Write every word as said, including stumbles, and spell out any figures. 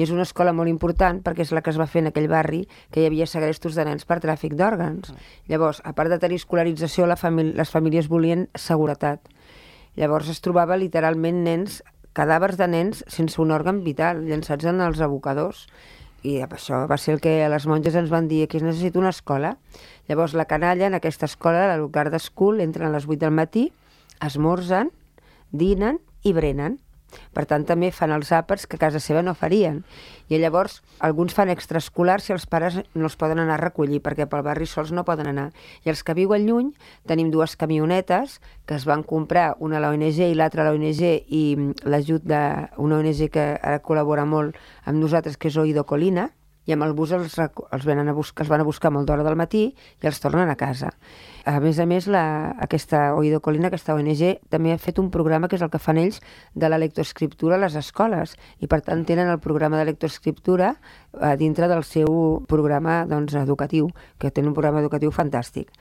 i és una escola molt important perquè és la que es va fer en aquell barri que hi havia segrestos de nens per tràfic d'òrgans. Llavors, a part de tenir escolarització, la famí- les famílies volien seguretat. Llavors es trobava literalment nens, cadàvers de nens sense un òrgan vital, llançats en els abocadors. I això va ser el que les monges ens van dir, que es necessita una escola. Llavors la canalla en aquesta escola, la Lucarda School, entren a les vuit del matí, esmorzen, dinen i brenen. Per tant, també fan els àpats que a casa seva no farien. I llavors, alguns fan extraescolars si els pares no els poden anar a recollir, perquè pel barri sols no poden anar. I els que viuen lluny, tenim dues camionetes que es van comprar, una a l'O N G i l'altra a l'O N G, i l'ajut d'una O N G que ara col·labora molt amb nosaltres, que és Oído Colina, i amb el bus els, els, venen a buscar, els van a buscar molt d'hora del matí i els tornen a casa. A més a més, la, aquesta Oído Colina, aquesta O N G, també ha fet un programa que és el que fan ells de la lectoescriptura a les escoles, i per tant tenen el programa de lectoescriptura a dintre del seu programa doncs, educatiu, que tenen un programa educatiu fantàstic.